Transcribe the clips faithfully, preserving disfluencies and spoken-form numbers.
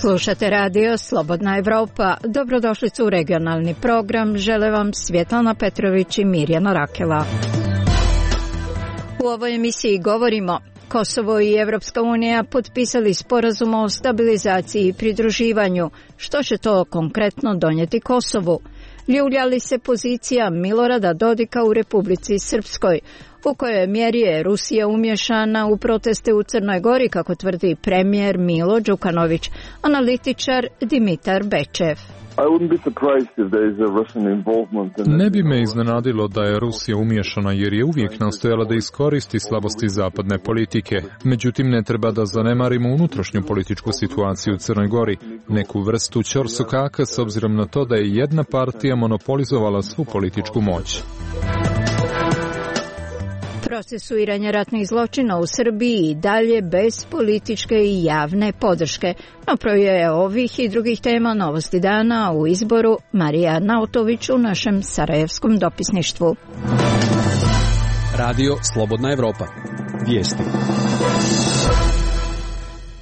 Slušate radio Slobodna Evropa. Dobrodošli u regionalni program. Žele vam Svjetlana Petrović i Mirjana Rakela. U ovoj emisiji govorimo: Kosovo i Evropska unija potpisali sporazum o stabilizaciji i pridruživanju. Što će to konkretno donijeti Kosovu? Ljulja li se pozicija Milorada Dodika u Republici Srpskoj? U kojoj mjeri je Rusija umješana u proteste u Crnoj Gori, kako tvrdi premijer Milo Đukanović, analitičar Dimitar Bečev. Ne bi me iznenadilo da je Rusija umiješana, jer je uvijek nastojala da iskoristi slabosti zapadne politike. Međutim, ne treba da zanemarimo unutrašnju političku situaciju u Crnoj Gori, neku vrstu ćorsokaka s obzirom na to da je jedna partija monopolizovala svu političku moć. Procesuiranje ratnih zločina u Srbiji i dalje bez političke i javne podrške. Napravio je ovih i drugih tema Novosti dana u izboru Marija Nautović u našem sarajevskom dopisništvu. Radio Slobodna Evropa. Vijesti.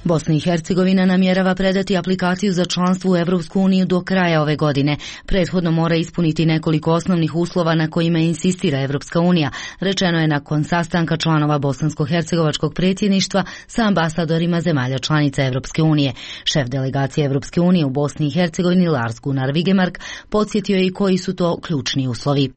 Bosna i Hercegovina namjerava predati aplikaciju za članstvo u Evropsku uniju do kraja ove godine. Prethodno mora ispuniti nekoliko osnovnih uslova na kojima insistira Evropska unija, rečeno je nakon sastanka članova bosansko-hercegovačkog predsjedništva sa ambasadorima zemalja članica Evropske unije. Šef delegacije Evropske unije u Bosni i Hercegovini Lars Gunnar Vigemark podsjetio je i koji su to ključni uslovi.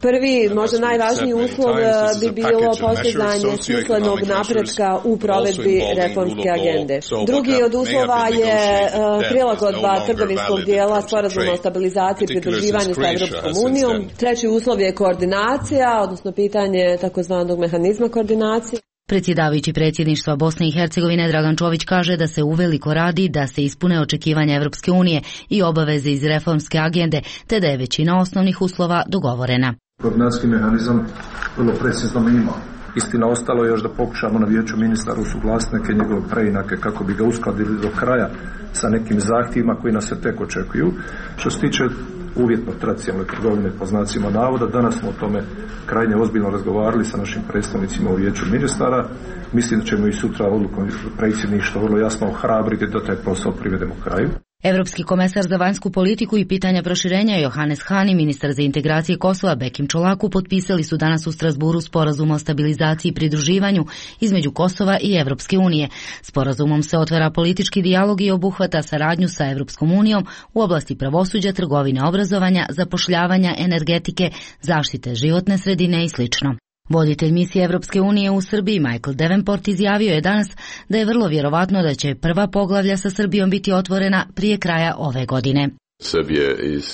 Prvi, možda najvažniji uslov bi bilo postizanje smislenog napretka u provedbi reformske agende. Drugi od uslova je prilagodba trgovinskog dijela sporazuma o stabilizaciji i pridruživanju sa Evropskom unijom. Treći uslov je koordinacija, odnosno pitanje takozvanog mehanizma koordinacije. Predsjedavajući predsjedništva Bosne i Hercegovine Dragan Čović kaže da se uveliko radi da se ispune očekivanja Evropske unije i obaveze iz reformske agende, te da je većina osnovnih uslova dogovorena. Koordinacijski mehanizam vrlo precizno mi ima. Istina, ostalo je još da pokušamo na vijeću ministara usuglasiti neke njegove preinake kako bi ga uskladili do kraja sa nekim zahtjevima koji nas se tek očekuju. Što se tiče uvjetno tradicionalne trgovine po znacima navoda, danas smo o tome krajnje ozbiljno razgovarali sa našim predstavnicima u vijeću ministara. Mislim da ćemo i sutra odlukom predsjedništva vrlo jasno ohrabriti da taj posao privedemo kraju. Evropski komesar za vanjsku politiku i pitanja proširenja Johannes Hahn i ministar za integracije Kosova Bekim Čolaku potpisali su danas u Strasburu sporazum o stabilizaciji i pridruživanju između Kosova i Evropske unije. Sporazumom se otvara politički dijalog i obuhvata saradnju sa Evropskom unijom u oblasti pravosuđa, trgovine, obrazovanja, zapošljavanja, energetike, zaštite životne sredine i slično. Voditelj misije Evropske unije u Srbiji Michael Davenport izjavio je danas da je vrlo vjerovatno da će prva poglavlja sa Srbijom biti otvorena prije kraja ove godine.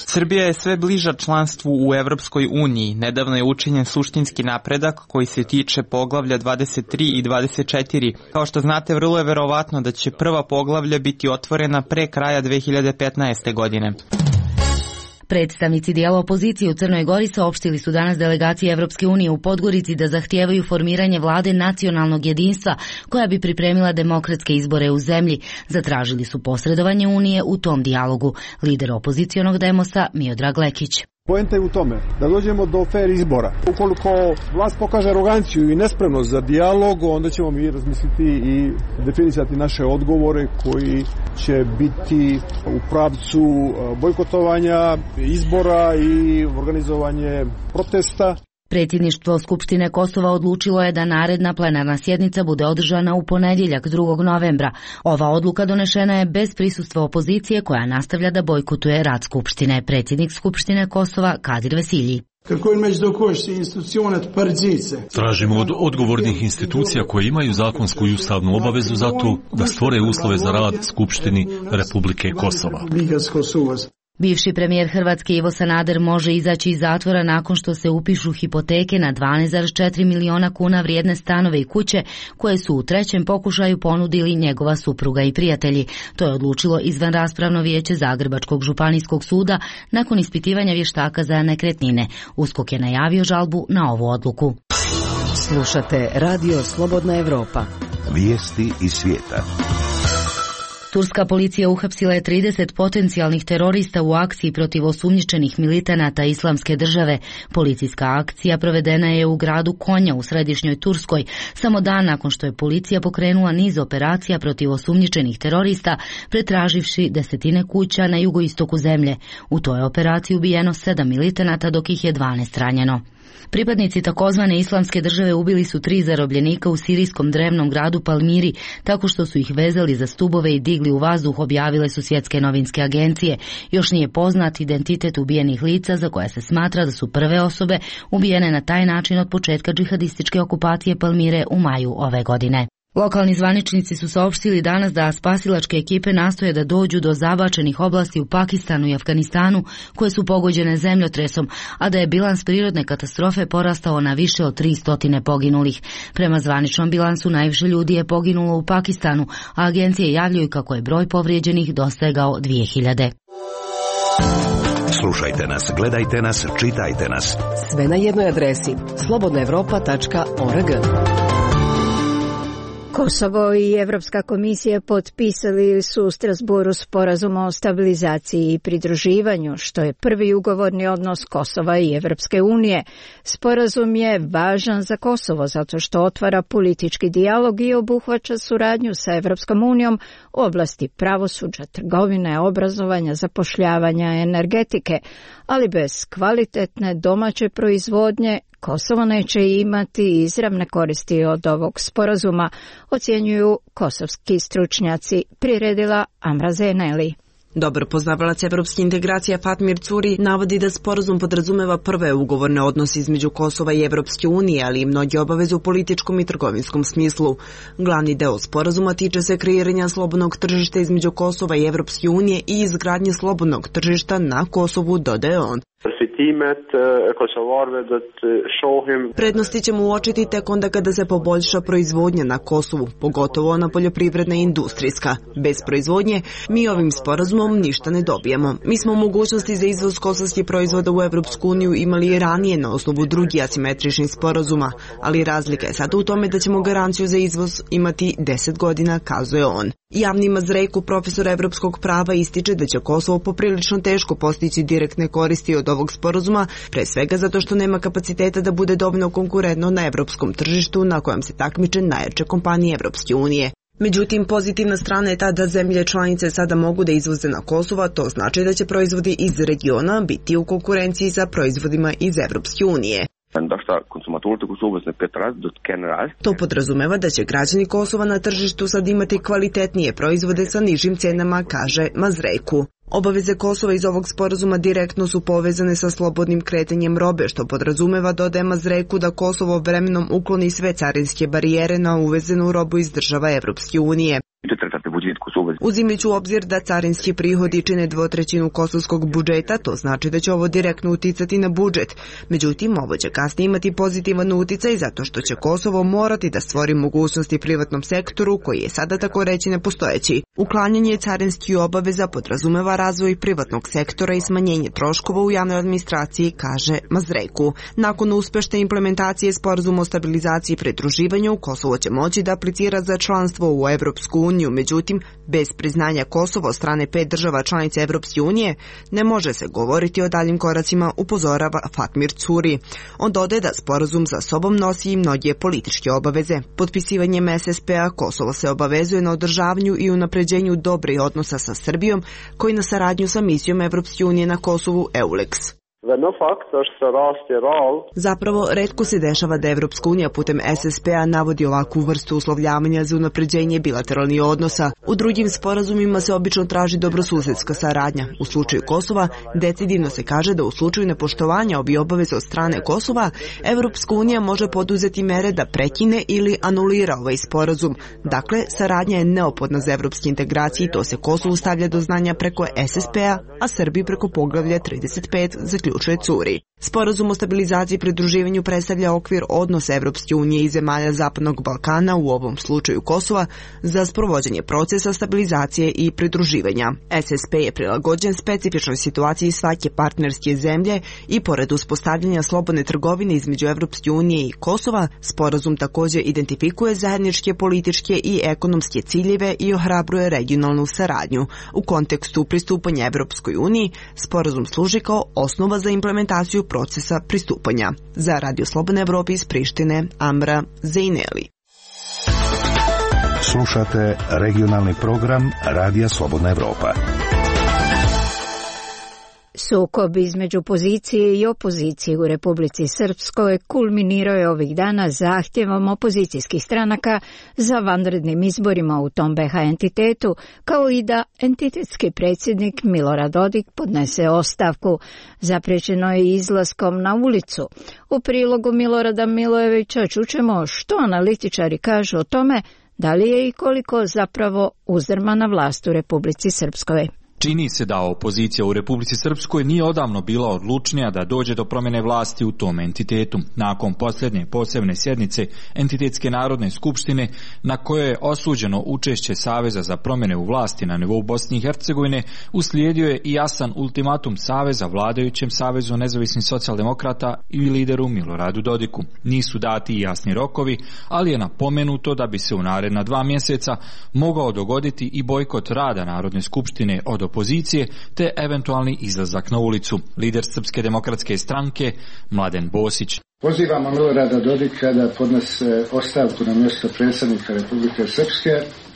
Srbija je sve bliža članstvu u Evropskoj uniji. Nedavno je učinjen suštinski napredak koji se tiče poglavlja dvadeset tri i dvadeset četiri. Kao što znate, vrlo je vjerovatno da će prva poglavlja biti otvorena pre kraja dve hiljade petnaeste. godine. Predstavnici dijela opozicije u Crnoj Gori saopštili su danas delegaciji Evropske unije u Podgorici da zahtijevaju formiranje vlade nacionalnog jedinstva koja bi pripremila demokratske izbore u zemlji. Zatražili su posredovanje Unije u tom dijalogu. Lider opozicionog Demosa Miodrag Lekić. Poenta je u tome da dođemo do fer izbora. Ukoliko vlast pokaže aroganciju i nespremnost za dijalog, onda ćemo mi razmisliti i definisati naše odgovore koji će biti u pravcu bojkotovanja izbora i organizovanje protesta. Predsjedništvo Skupštine Kosova odlučilo je da naredna plenarna sjednica bude održana u ponedjeljak drugog novembra. Ova odluka donešena je bez prisustva opozicije koja nastavlja da bojkotuje rad Skupštine. Predsjednik Skupštine Kosova Kadir Vesilji. Tražimo od odgovornih institucija koje imaju zakonsku i ustavnu obavezu za to da stvore uslove za rad Skupštini Republike Kosova. Bivši premijer Hrvatske Ivo Sanader može izaći iz zatvora nakon što se upišu hipoteke na dvanaest zarez četiri miliona kuna vrijedne stanove i kuće koje su u trećem pokušaju ponudili njegova supruga i prijatelji. To je odlučilo izvanraspravno vijeće Zagrebačkog županijskog suda nakon ispitivanja vještaka za nekretnine. USKOK je najavio žalbu na ovu odluku. Slušate Radio Slobodna Evropa. Vijesti iz svijeta. Turska policija uhapsila je trideset potencijalnih terorista u akciji protiv osumnjičenih militanata Islamske države. Policijska akcija provedena je u gradu Konja u središnjoj Turskoj, samo dan nakon što je policija pokrenula niz operacija protiv osumnjičenih terorista, pretraživši desetine kuća na jugoistoku zemlje. U toj operaciji ubijeno sedam militanata, dok ih je dvanaest ranjeno. Pripadnici takozvane Islamske države ubili su tri zarobljenika u sirijskom drevnom gradu Palmiri tako što su ih vezali za stubove i digli u vazduh, objavile su svjetske novinske agencije. Još nije poznat identitet ubijenih lica, za koje se smatra da su prve osobe ubijene na taj način od početka džihadističke okupacije Palmire u maju ove godine. Lokalni zvaničnici su saopštili danas da spasilačke ekipe nastoje da dođu do zabačenih oblasti u Pakistanu i Afganistanu koje su pogođene zemljotresom, a da je bilans prirodne katastrofe porastao na više od tristo poginulih. Prema zvaničnom bilansu najviše ljudi je poginulo u Pakistanu, a agencije javljaju kako je broj povrijeđenih dosegao dvije hiljade. Slušajte nas, gledajte nas, čitajte nas. Sve na jednoj adresi slobodna evropa tačka org. Kosovo i Evropska komisija potpisali su u Strasburu sporazum o stabilizaciji i pridruživanju, što je prvi ugovorni odnos Kosova i Evropske unije. Sporazum je važan za Kosovo zato što otvara politički dijalog i obuhvaća suradnju sa Evropskom unijom u oblasti pravosuđa, trgovine, obrazovanja, zapošljavanja, energetike, ali bez kvalitetne domaće proizvodnje Kosovo neće imati izravne koristi od ovog sporazuma, ocjenjuju kosovski stručnjaci, priredila Amra Zeneli. Dobar poznavalac evropske integracije Fatmir Curi navodi da sporazum podrazumeva prve ugovorne odnose između Kosova i Evropske unije, ali i mnoge obaveze u političkom i trgovinskom smislu. Glavni deo sporazuma tiče se kreiranja slobodnog tržišta između Kosova i Evropske unije i izgradnje slobodnog tržišta na Kosovu, dodaje on. Prednosti ćemo uočiti tek onda kada se poboljša proizvodnja na Kosovu, pogotovo ona poljoprivredna i industrijska. Bez proizvodnje mi ovim sporazumom ništa ne dobijemo. Mi smo mogućnosti za izvoz kosovskih proizvoda u Evropsku uniju imali i ranije na osnovu drugih asimetričnih sporazuma, ali razlika je sada u tome da ćemo garanciju za izvoz imati deset godina, kazuje on. Javni Mazrejku, profesor evropskog prava, ističe da će Kosovo poprilično teško postići direktne koristi od ovog sporazuma, pre svega zato što nema kapaciteta da bude dovoljno konkurentno na evropskom tržištu na kojem se takmiče najjače kompanije Evropske unije. Međutim, pozitivna strana je ta da zemlje članice sada mogu da izvoze na Kosovo, to znači da će proizvodi iz regiona biti u konkurenciji sa proizvodima iz Evropske unije. To podrazumeva da će građani Kosova na tržištu sad imati kvalitetnije proizvode sa nižim cenama, kaže Mazrejku. Obaveze Kosova iz ovog sporazuma direktno su povezane sa slobodnim kretanjem robe, što podrazumeva, dodaje Mazrejku, da Kosovo vremenom ukloni sve carinske barijere na uvezenu robu iz država Evropske unije. Uzimajući u obzir da carinski prihodi čine dvotrećinu kosovskog budžeta, to znači da će ovo direktno uticati na budžet. Međutim, ovo će kasnije imati pozitivan uticaj zato što će Kosovo morati da stvori mogućnosti privatnom sektoru koji je sada tako reći nepostojeći. Uklanjanje carinskih obaveza podrazumeva razvoj privatnog sektora i smanjenje troškova u javnoj administraciji, kaže Mazrejku. Nakon uspešne implementacije sporazuma o stabilizaciji i pridruživanju, Kosovo će moći da aplicira za članstvo u Evropsku uniju. Međutim, bez priznanja Kosova od strane pet država članica Evropske unije ne može se govoriti o daljim koracima, upozorava Fatmir Curi. On dodaje da sporazum za sobom nosi i mnoge političke obaveze. Potpisivanjem es es pe a Kosovo se obavezuje na održavanju i unapređenju dobrih odnosa sa Srbijom, koji na saradnju sa misijom Evropske unije na Kosovu EULEX. Zapravo, retko se dešava da Evropska unija putem es es pe a navodi ovakvu vrstu uslovljavanja za unapređenje bilateralnih odnosa. U drugim sporazumima se obično traži dobrosusedska saradnja. U slučaju Kosova, decidivno se kaže da u slučaju nepoštovanja ovih obaveza od strane Kosova, Evropska unija može poduzeti mere da prekine ili anulira ovaj sporazum. Dakle, saradnja je neophodna za evropske integracije i to se Kosovu stavlja do znanja preko es es pe a, a Srbiji preko poglavlja trideset pet, zaključuje slučaj curi. Sporazum o stabilizaciji i pridruživanju predstavlja okvir odnosa Evropske unije i zemalja Zapadnog Balkana, u ovom slučaju Kosova, za sprovođenje procesa stabilizacije i pridruživanja. S S P je prilagođen specifičnoj situaciji svake partnerske zemlje i pored uspostavljanja slobodne trgovine između Evropske unije i Kosova, sporazum također identifikuje zajedničke političke i ekonomske ciljeve i ohrabruje regionalnu saradnju. U kontekstu pristupanja Evropskoj uniji, sporazum služi kao osnova za implementaciju procesa pristupanja. Za Radio Slobodne Evrope iz Prištine, Amra Zejneli. Slušate regionalni program Radija Slobodna Evropa. Sukob između pozicije i opozicije u Republici Srpskoj kulminirao je ovih dana zahtjevom opozicijskih stranaka za vanrednim izborima u tom B H entitetu, kao i da entitetski predsjednik Milorad Dodik podnese ostavku. Zapriječeno je izlaskom na ulicu. U prilogu Milorada Milojevića čućemo što analitičari kažu o tome, da li je i koliko zapravo uzdrmana vlast u Republici Srpskoj. Čini se da opozicija u Republici Srpskoj nije odavno bila odlučnija da dođe do promjene vlasti u tom entitetu. Nakon posljednje posebne sjednice Entitetske narodne skupštine, na kojoj je osuđeno učešće Saveza za promjene u vlasti na nivou Bosne i Hercegovine, uslijedio je i jasan ultimatum Saveza vladajućem Savezu nezavisnih socijaldemokrata i lideru Miloradu Dodiku. Nisu dati i jasni rokovi, ali je napomenuto da bi se u naredna dva mjeseca mogao dogoditi i bojkot rada Narodne skupštine od opozicije te eventualni izlazak na ulicu. Lider Srpske demokratske stranke Mladen Bosić. Pozivamo Milorada Dodika da podnese ostavku na mjesto predsjednika Republike Srpske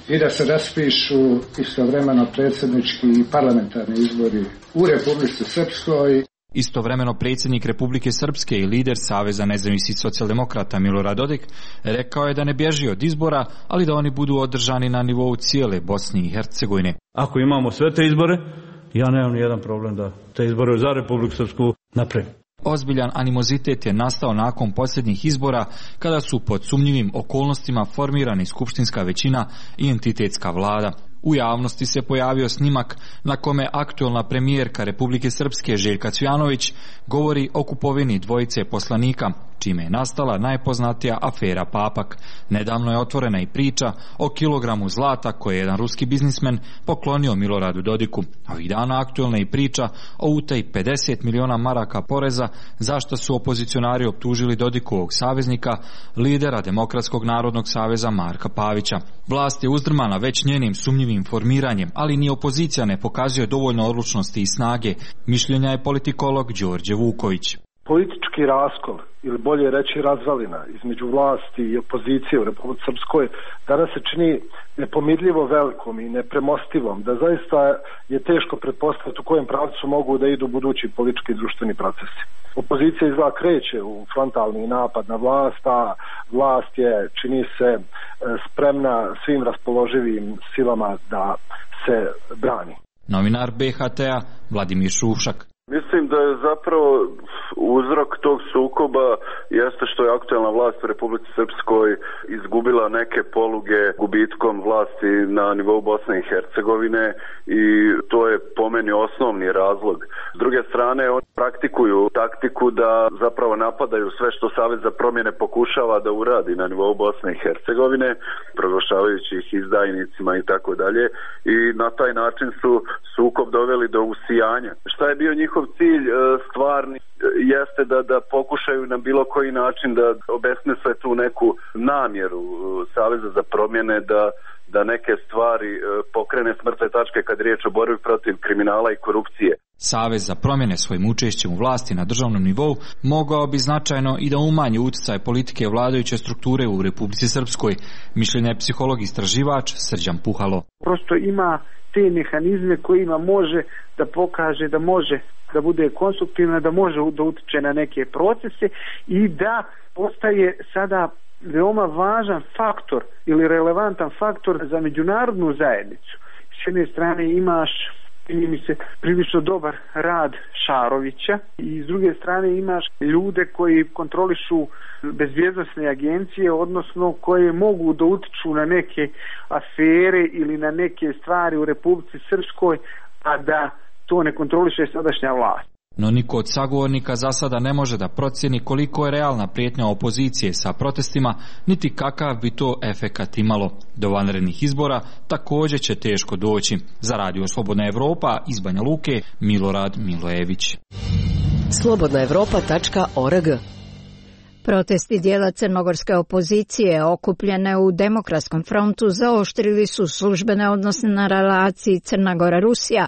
i da se raspišu istovremeno predsjednički i parlamentarni izbori u Republici Srpskoj. Istovremeno predsjednik Republike Srpske i lider Saveza nezavisnih socijaldemokrata Milorad Dodik rekao je da ne bježi od izbora, ali da oni budu održani na nivou cijele Bosne i Hercegovine. Ako imamo sve te izbore, ja nemam ni jedan problem da te izbore za Republiku Srpsku napravim. Ozbiljan animozitet je nastao nakon posljednjih izbora, kada su pod sumnjivim okolnostima formirani skupštinska većina i entitetska vlada. U javnosti se pojavio snimak na kome aktualna premijerka Republike Srpske Željka Cvijanović govori o kupovini dvojice poslanika, čime je nastala najpoznatija afera Papak. Nedavno je otvorena i priča o kilogramu zlata koje je jedan ruski biznismen poklonio Miloradu Dodiku. Ovih dana aktualna je i priča o utaji pedeset miliona maraka poreza, zašto su opozicionari optužili Dodikovog saveznika, lidera Demokratskog narodnog saveza Marka Pavića. Vlast je uzdrmana već njenim sumnjivim formiranjem, ali ni opozicija ne pokazuje dovoljno odlučnosti i snage, mišljenja je politikolog Đorđe Vuković. Politički raskol, ili bolje reći razvalina, između vlasti i opozicije u Republici Srpskoj danas se čini nepomirljivo velikom i nepremostivom, da zaista je teško pretpostaviti u kojem pravcu mogu da idu budući politički i društveni procesi. Opozicija izgleda kreće u frontalni napad na vlast, a vlast je, čini se, spremna svim raspoloživim silama da se brani. Novinar B H T-a Vladimir Šušak. Mislim da je zapravo uzrok tog sukoba jeste što je aktualna vlast u Republici Srpskoj izgubila neke poluge gubitkom vlasti na nivou Bosne i Hercegovine i to je po meni osnovni razlog. S druge strane, oni praktikuju taktiku da zapravo napadaju sve što Savez za promjene pokušava da uradi na nivou Bosne i Hercegovine, proglašavajući ih izdajnicima i tako dalje, i na taj način su sukob doveli do usijanja. Šta je bio njihov cilj stvarni jeste da, da pokušaju na bilo koji način da obesmisle tu neku namjeru Saveza za promjene da, da neke stvari pokrene s mrtve tačke kad je riječ o borbi protiv kriminala i korupcije. Savez za promjene svojim učešćem u vlasti na državnom nivou mogao bi značajno i da umanji utjecaj politike vladajuće strukture u Republici Srpskoj, mišljenja je psiholog istraživač Srđan Puhalo. Prosto ima te mehanizme kojima može da pokaže da može da bude konstruktivna, da može da utiče na neke procese i da postaje sada veoma važan faktor ili relevantan faktor za međunarodnu zajednicu. S jedne strane imaš, čini mi se, prilično dobar rad Šarovića i s druge strane imaš ljude koji kontrolišu bezbjednosne agencije, odnosno koje mogu da utiču na neke afere ili na neke stvari u Republici Srpskoj, a da to ne kontroliše sadašnja vlast. No niko od sagovornika za sada ne može da procjeni koliko je realna prijetnja opozicije sa protestima, niti kakav bi to efekat imalo. Do vanrednih izbora također će teško doći. Za Radio Slobodna Evropa iz Banja Luke, Milorad Milojević. slobodna evropa tačka org. Protesti dijela crnogorske opozicije okupljene u Demokratskom frontu zaoštrili su službene odnose na relaciji Crna Gora-Rusija,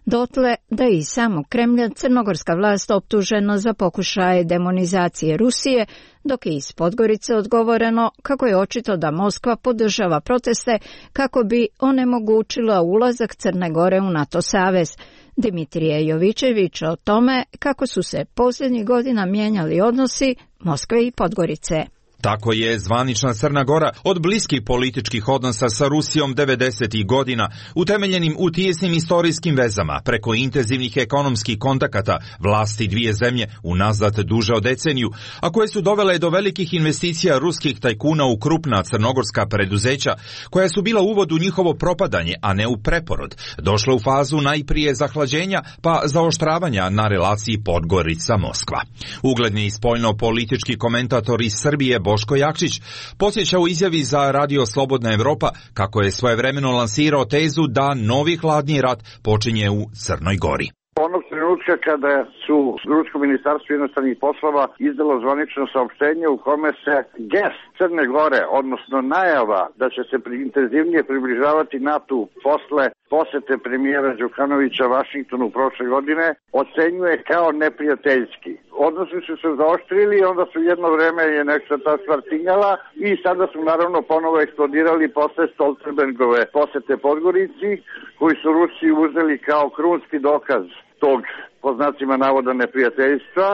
dotle da je i samog Kremlja crnogorska vlast optužena za pokušaje demonizacije Rusije, dok je iz Podgorice odgovoreno kako je očito da Moskva podržava proteste kako bi onemogućila ulazak Crne Gore u NATO savez. Dimitrije Jovičević o tome kako su se posljednjih godina mijenjali odnosi Moskve i Podgorice. Tako je zvanična Crna Gora od bliskih političkih odnosa sa Rusijom devedesetih godina, utemeljenim u tijesnim istorijskim vezama, preko intenzivnih ekonomskih kontakata vlasti dvije zemlje unazad duže od deceniju, a koje su dovele do velikih investicija ruskih tajkuna u krupna crnogorska preduzeća, koja su bila uvod u njihovo propadanje, a ne u preporod, došla u fazu najprije zahlađenja, pa zaoštravanja na relaciji Podgorica-Moskva. Ugledni spoljno-politički komentator iz Srbije Boško Jakšić podsjeća u izjavi za Radio Slobodna Evropa kako je svojevremeno lansirao tezu da novi hladni rat počinje u Crnoj Gori. Onog trenutka kada su Rusko ministarstvo inostranih poslova izdalo zvanično saopštenje u kome se gest Crne Gore, odnosno najava da će se intenzivnije približavati NATO posle posete premijera Đukanovića Vašingtonu prošle godine, ocenjuje kao neprijateljski. Odnosi su se zaoštrili i onda su jedno vreme je nešto ta stvar tinjala i sada su naravno ponovo eksplodirali posle Stoltenbergove posete Podgorici, koji su Rusiji uzeli kao krunski dokaz tog, po znacima navoda, neprijateljstva.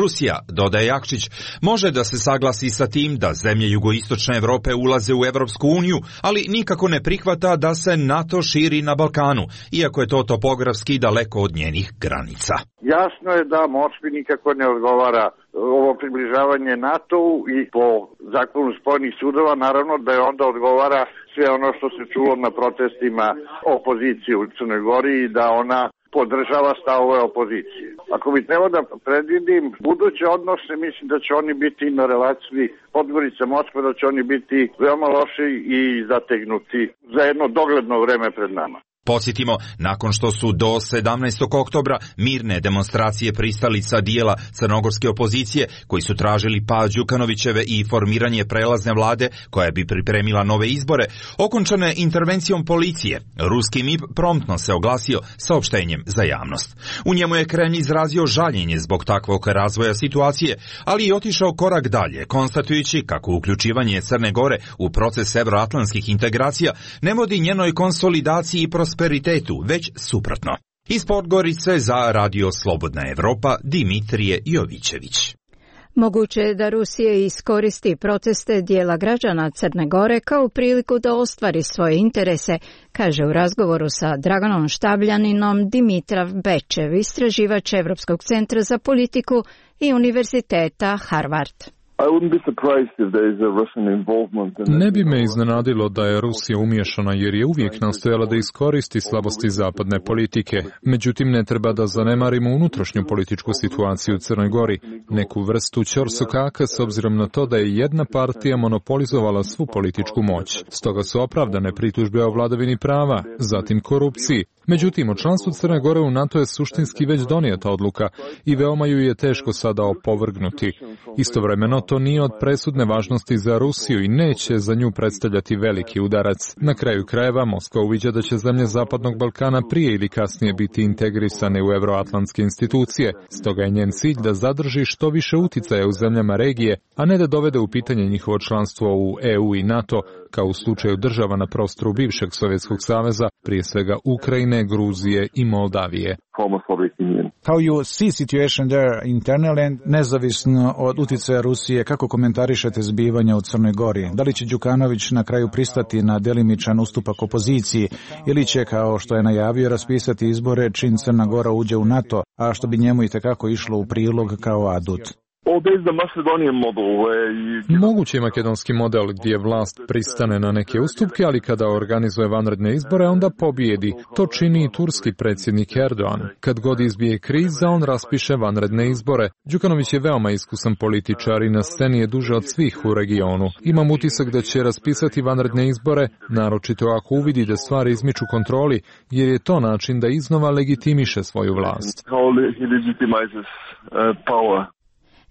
Rusija, dodaje Jakšić, može da se saglasi sa tim da zemlje jugoistočne Evrope ulaze u Evropsku uniju, ali nikako ne prihvata da se NATO širi na Balkanu, iako je to topografski daleko od njenih granica. Jasno je da Moskvi nikako ne odgovara ovo približavanje NATO-u i po zakonu spojenih sudova naravno da je onda odgovara sve ono što se čulo na protestima opozicije u Crnoj Gori i da ona podržava stavove opozicije. Ako bi trebao da predvidim buduće odnose, mislim da će oni biti na relaciji Podgorica-Moskva, da će oni biti veoma loši i zategnuti za jedno dogledno vreme pred nama. Podsjetimo, nakon što su do sedamnaestog oktobra mirne demonstracije pristalica dijela crnogorske opozicije, koji su tražili pad Đukanovićeve i formiranje prelazne vlade koja bi pripremila nove izbore, okončane intervencijom policije, ruski M I P promptno se oglasio saopštenjem za javnost. U njemu je Kremlj izrazio žaljenje zbog takvog razvoja situacije, ali i otišao korak dalje, konstatujući kako uključivanje Crne Gore u proces evroatlantskih integracija ne vodi njenoj konsolidaciji i prosperitetu, već suprotno. Iz Podgorice za Radio Slobodna Evropa, Dimitrije Jovičević. Moguće je da Rusija iskoristi proteste dijela građana Crne Gore kao priliku da ostvari svoje interese, kaže u razgovoru sa Draganom Štabljaninom Dimitrav Bečev, istraživač Evropskog centra za politiku i Univerziteta Harvard. Ne bi me iznenadilo da je Rusija umiješana jer je uvijek nastojala da iskoristi slabosti zapadne politike. Međutim, ne treba da zanemarimo unutrašnju političku situaciju u Crnoj Gori, neku vrstu ćorsokaka s obzirom na to da je jedna partija monopolizovala svu političku moć. Stoga su opravdane pritužbe o vladavini prava, zatim korupciji. Međutim, o članstvu Crne Gore u NATO je suštinski već donijeta odluka i veoma ju je teško sada opovrgnuti. Istovremeno, to nije od presudne važnosti za Rusiju i neće za nju predstavljati veliki udarac. Na kraju krajeva, Moskva uviđa da će zemlje Zapadnog Balkana prije ili kasnije biti integrisane u evroatlantske institucije. Stoga je njen cilj da zadrži što više uticaja u zemljama regije, a ne da dovede u pitanje njihovo članstvo u E U i NATO, kao u slučaju država na prostoru bivšeg Sovjetskog saveza, prije svega Ukrajine, Gruzije i Moldavije. How you see situation there internally and nezavisno od uticaja Rusije, kako komentarišete zbivanja u Crnoj Gori? Da li će Đukanović na kraju pristati na delimičan ustupak opoziciji ili će, kao što je najavio, raspisati izbore čim Crna Gora uđe u NATO, a što bi njemu itekako išlo u prilog kao adut? Moguće je makedonski model gdje vlast pristane na neke ustupke, ali kada organizuje vanredne izbore, onda pobijedi. To čini i turski predsjednik Erdogan. Kad god izbije kriza, on raspiše vanredne izbore. Đukanović je veoma iskusan političar i na sceni je duže od svih u regionu. Imam utisak da će raspisati vanredne izbore, naročito ako uvidi da stvari izmiču kontroli, jer je to način da iznova legitimiše svoju vlast.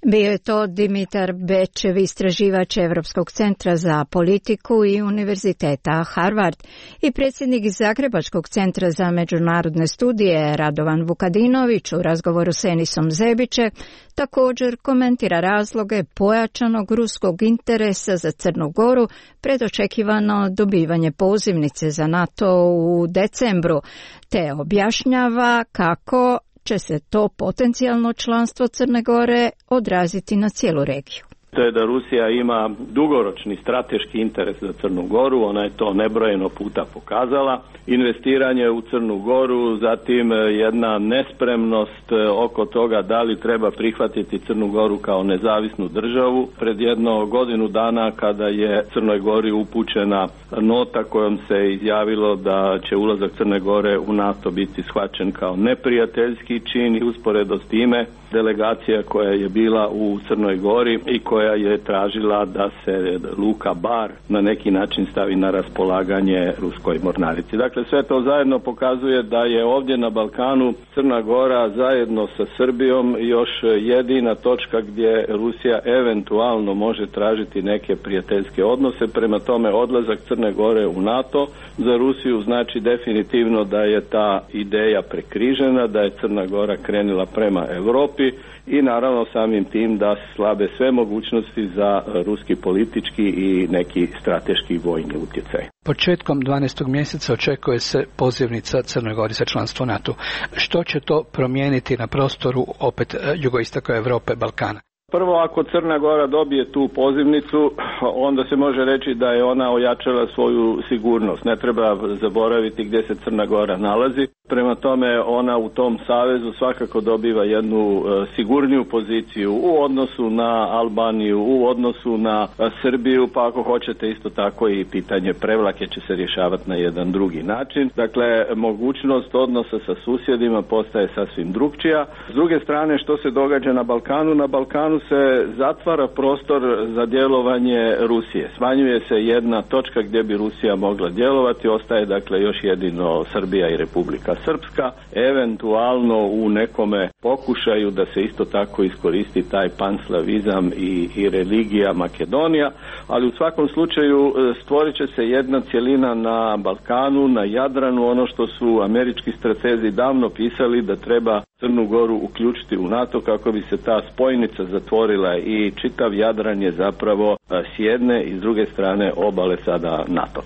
Bio je to Dimitar Bečev, istraživač Evropskog centra za politiku i Univerziteta Harvard, i predsjednik Zagrebačkog centra za međunarodne studije Radovan Vukadinović u razgovoru s Enisom Zebiće također komentira razloge pojačanog ruskog interesa za Crnu Goru pred očekivano dobivanje pozivnice za NATO u decembru, te objašnjava kako će se to potencijalno članstvo Crne Gore odraziti na cijelu regiju. To je da Rusija ima dugoročni strateški interes za Crnu Goru, ona je to nebrojeno puta pokazala. Investiranje u Crnu Goru, zatim jedna nespremnost oko toga da li treba prihvatiti Crnu Goru kao nezavisnu državu. Pred jedno godinu dana kada je Crnoj Gori upućena nota kojom se izjavilo da će ulazak Crne Gore u NATO biti shvaćen kao neprijateljski čin, i usporedo s time delegacija koja je bila u Crnoj Gori i koja je tražila da se luka Bar na neki način stavi na raspolaganje ruskoj mornarici. Dakle, sve to zajedno pokazuje da je ovdje na Balkanu Crna Gora zajedno sa Srbijom još jedina točka gdje Rusija eventualno može tražiti neke prijateljske odnose. Prema tome, odlazak Crne Gore u NATO za Rusiju znači definitivno da je ta ideja prekrižena, da je Crna Gora krenula prema Europi i naravno samim tim da slabe sve mogućnosti za ruski politički i neki strateški vojni utjecaj. Početkom dvanaestog mjeseca očekuje se pozivnica Crnoj Gori za članstvo NATO. Što će to promijeniti na prostoru opet jugoistoka Europe, Balkana? Prvo, ako Crna Gora dobije tu pozivnicu, onda se može reći da je ona ojačala svoju sigurnost. Ne treba zaboraviti gdje se Crna Gora nalazi. Prema tome, ona u tom savezu svakako dobiva jednu sigurniju poziciju u odnosu na Albaniju, u odnosu na Srbiju, pa ako hoćete isto tako i pitanje Prevlake će se rješavati na jedan drugi način. Dakle, mogućnost odnosa sa susjedima postaje sasvim drukčija. S druge strane, što se događa na Balkanu? Na Balkanu se zatvara prostor za djelovanje Rusije. Smanjuje se jedna točka gdje bi Rusija mogla djelovati, ostaje dakle još jedino Srbija i Republika Srpska, eventualno u nekome pokušaju da se isto tako iskoristi taj panslavizam i, i religija Makedonija, ali u svakom slučaju stvorit će se jedna cjelina na Balkanu, na Jadranu, ono što su američki stratezi davno pisali da treba Crnu Goru uključiti u NATO kako bi se ta spojnica zatvorila i čitav Jadran je zapravo s jedne i s druge strane obale sada NATO.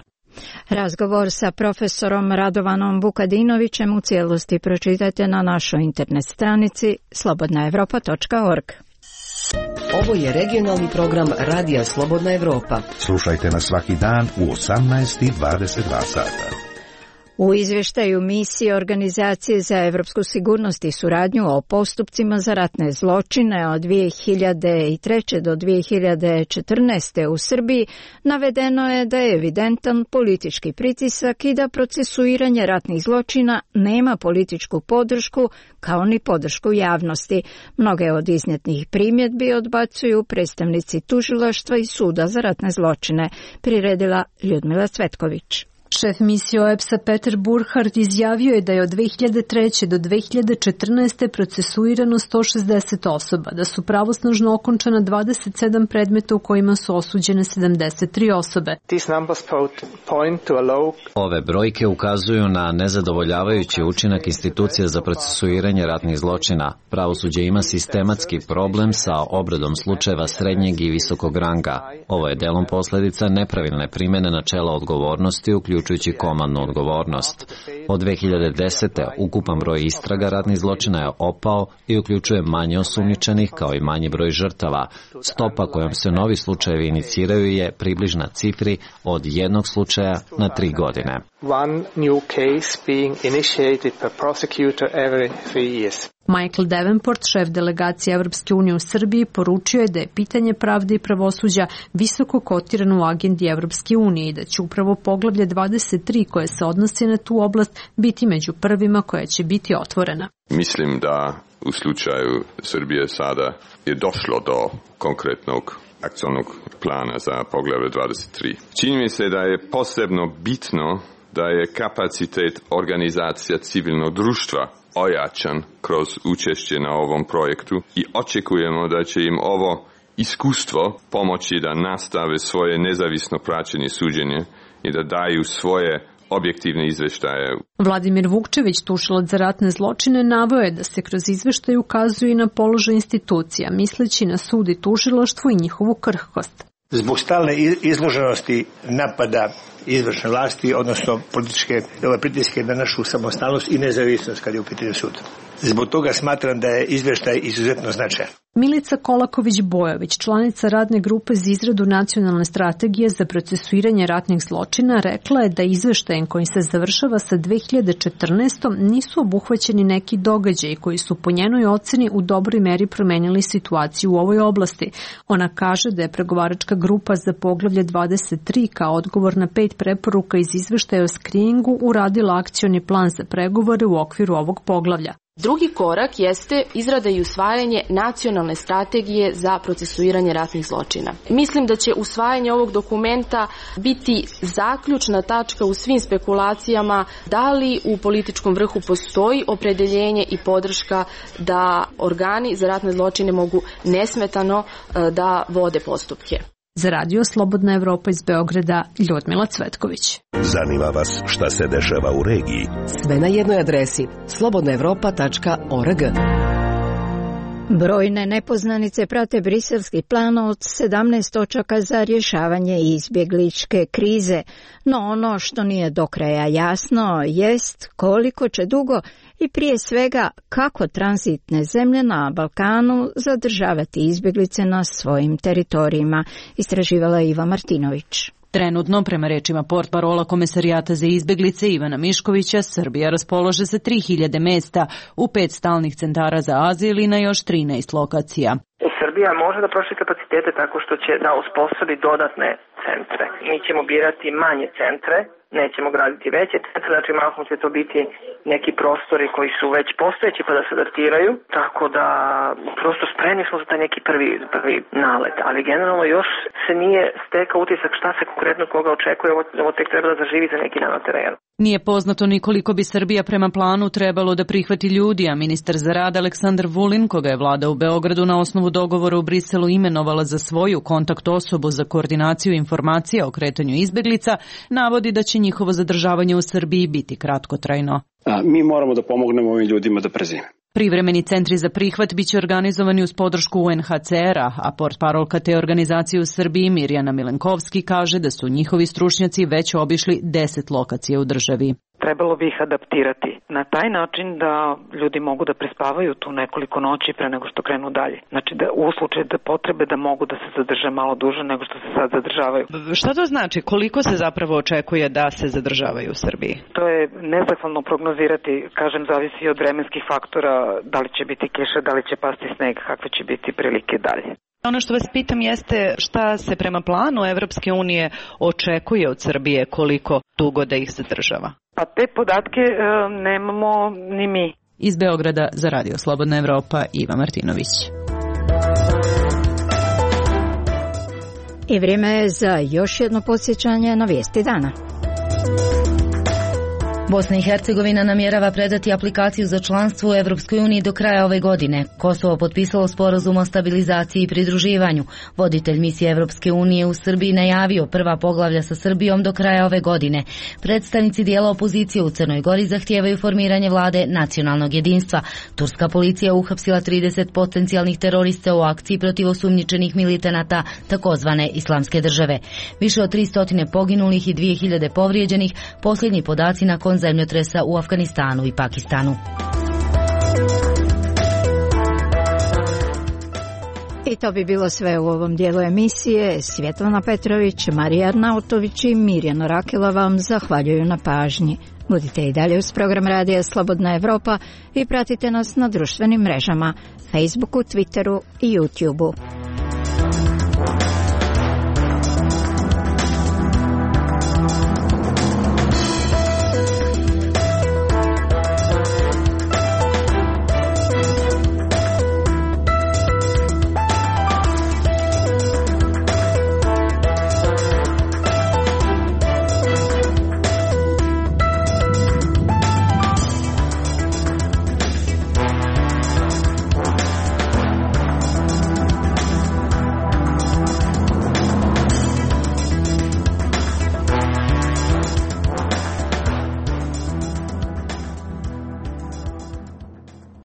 Razgovor sa profesorom Radovanom Vukadinovićem u cijelosti pročitajte na našoj internet stranici slobodna evropa točka org. Ovo je regionalni program Radija Slobodna Evropa. Slušajte nas svaki dan u osamnaest i dvadeset dva sata. U izvještaju misije Organizacije za evropsku sigurnost i suradnju o postupcima za ratne zločine od dvije hiljade treće do dvije hiljade četrnaeste. u Srbiji navedeno je da je evidentan politički pritisak i da procesuiranje ratnih zločina nema političku podršku kao ni podršku javnosti. Mnoge od iznijetih primjedbi odbacuju predstavnici tužilaštva i suda za ratne zločine, priredila Ljudmila Cvetković. Šef misije O E P S-a Peter Burkhardt izjavio je da je od dve hiljade treće. do dve hiljade četrnaeste. procesuirano sto šezdeset osoba, da su pravosnažno okončana dvadeset sedam predmeta u kojima su osuđene sedamdeset tri osobe. Ove brojke ukazuju na nezadovoljavajući učinak institucija za procesuiranje ratnih zločina. Pravosuđe ima sistematski problem sa obradom slučajeva srednjeg i visokog ranga. Ovo je delom posljedica nepravilne primjene načela odgovornosti, uključujući komandnu odgovornost. Od dve hiljade desete. ukupan broj istraga ratnih zločina je opao i uključuje manje osumnjičenih kao i manji broj žrtava. Stopa kojom se novi slučajevi iniciraju je približna cifri od jednog slučaja na tri godine. One new case being initiated per prosecutor every three years. Michael Davenport, šef delegacije Evropske unije u Srbiji, poručio je da je pitanje pravde i pravosuđa visoko kotirano u agendi Evropske unije i da će upravo poglavlje dvadeset tri koje se odnosi na tu oblast biti među prvima koja će biti otvorena. Mislim da u slučaju Srbije sada je došlo do konkretnog akcionog plana za poglavlje dvadeset tri. Čini mi se da je posebno bitno da je kapacitet organizacija civilnog društva ojačan kroz učešće na ovom projektu i očekujemo da će im ovo iskustvo pomoći da nastave svoje nezavisno praćenje suđenje i da daju svoje objektivne izveštaje. Vladimir Vukčević, tužilac za ratne zločine, naveo je da se kroz izveštaj ukazuje i na položaj institucija, misleći na sud i tužilaštvo i njihovu krhkost. Zbog stalne izloženosti napada izvršne vlasti, odnosno političke pritiske na našu samostalnost i nezavisnost kad je u pitanju sud. Zbog toga smatram da je izveštaj izuzetno značajan. Milica Kolaković-Bojović, članica radne grupe za izradu nacionalne strategije za procesuiranje ratnih zločina, rekla je da izveštajem koji se završava sa dve hiljade četrnaestom nisu obuhvaćeni neki događaji koji su po njenoj oceni u dobroj meri promenili situaciju u ovoj oblasti. Ona kaže da je pregovaračka grupa za poglavlje dvadeset tri kao odgovor na pet preporuka iz izveštaja o skriningu uradila akcioni plan za pregovore u okviru ovog poglavlja. Drugi korak jeste izrada i usvajanje nacionalne strategije za procesuiranje ratnih zločina. Mislim da će usvajanje ovog dokumenta biti zaključna tačka u svim spekulacijama da li u političkom vrhu postoji opredeljenje i podrška da organi za ratne zločine mogu nesmetano da vode postupke. Za radio Slobodna Evropa iz Beograda, Ljudmila Cvetković. Zanima vas šta se dešava u regiji? Sve na jednoj adresi slobodna evropa tačka org. Brojne nepoznanice prate briselski plan od sedamnaest točaka za rješavanje izbjegličke krize, no ono što nije do kraja jasno jest koliko će dugo i prije svega kako tranzitne zemlje na Balkanu zadržavati izbjeglice na svojim teritorijima, istraživala Iva Martinović. Trenutno, prema rečima portparola Komesarijata za izbjeglice Ivana Miškovića, Srbija raspolaže sa tri hiljade mesta u pet stalnih centara za azil i na još trinaest lokacija. Srbija može da proširi kapacitete tako što će da osposobi dodatne centre. Mi ćemo birati manje centre, nećemo graditi veće centre, znači mahom će to biti neki prostori koji su već postojeći pa da se adaptiraju, tako da prosto spremni smo za taj neki prvi, prvi nalet, ali generalno još se nije stekao utisak šta se konkretno koga očekuje, ovo, ovo tek treba da zaživi za neki dan na terenu. Nije poznato ni koliko bi Srbija prema planu trebalo da prihvati ljudi, a ministar za rad Aleksandar Vulin, koga je vlada u Beogradu na osnovu dogovora u Briselu imenovala za svoju kontakt osobu za koordinaciju informacija o kretanju izbeglica, navodi da će njihovo zadržavanje u Srbiji biti kratkotrajno. A, mi moramo da pomognemo ovim ljudima da prezime. Privremeni centri za prihvat biće organizovani uz podršku U N H C R-a, a portparolka te organizacije u Srbiji Mirjana Milenkovski kaže da su njihovi stručnjaci već obišli deset lokacija u državi. Trebalo bi ih adaptirati na taj način da ljudi mogu da prespavaju tu nekoliko noći pre nego što krenu dalje. Znači da u slučaju da potrebe da mogu da se zadrže malo duže nego što se sad zadržavaju. Šta to znači? Koliko se zapravo očekuje da se zadržavaju u Srbiji? To je nezahvalno prognozirati, kažem, zavisi od vremenskih faktora, da li će biti kiša, da li će pasti sneg, kakve će biti prilike dalje. Ono što vas pitam jeste šta se prema planu Evropske unije očekuje od Srbije, koliko dugo da ih zadržava? Pa te podatke e, nemamo ni mi. Iz Beograda za radio Slobodna Evropa, Iva Martinović. I vrijeme je za još jedno podsjećanje na vijesti dana. Bosna i Hercegovina namjerava predati aplikaciju za članstvo u Evropskoj uniji do kraja ove godine. Kosovo potpisalo sporazum o stabilizaciji i pridruživanju. Voditelj misije Evropske unije u Srbiji najavio prva poglavlja sa Srbijom do kraja ove godine. Predstavnici dijela opozicije u Crnoj Gori zahtijevaju formiranje vlade nacionalnog jedinstva. Turska policija uhapsila trideset potencijalnih terorista u akciji protiv osumnjičenih militanata takozvane Islamske države. Više od tristo poginulih i dvije hiljade povrijeđenih, posljednji podaci nakon zemljotresa u Afganistanu i Pakistanu. I to bi bilo sve u ovom dijelu emisije. Svjetlana Petrović, Marija Arnautović i Mirjana Rakela vam zahvaljuju na pažnji. Budite i dalje uz program Radija Slobodna Evropa i pratite nas na društvenim mrežama, Facebooku, Twitteru i YouTubeu.